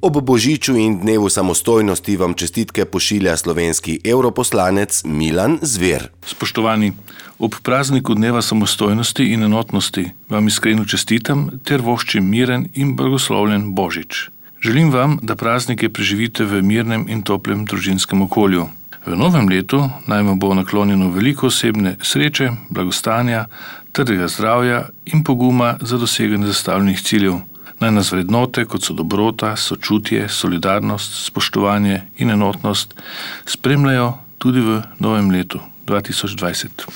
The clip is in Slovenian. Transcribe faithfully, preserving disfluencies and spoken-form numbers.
Ob božiču in dnevu samostojnosti vam čestitke pošilja slovenski evroposlanec Milan Zver. Spoštovani, ob prazniku dneva samostojnosti in enotnosti vam iskreno čestitam ter voščim miren in blagoslovljen božič. Želim vam, da praznike preživite v mirnem in toplem družinskem okolju. V novem letu naj vam bo naklonjeno veliko osebne sreče, blagostanja, trdega zdravja in poguma za doseganje zastavljenih ciljev. Naj nas vrednote, kot so dobrota, sočutje, solidarnost, spoštovanje in enotnost, spremljajo tudi v novem letu dva tisoč dvajset.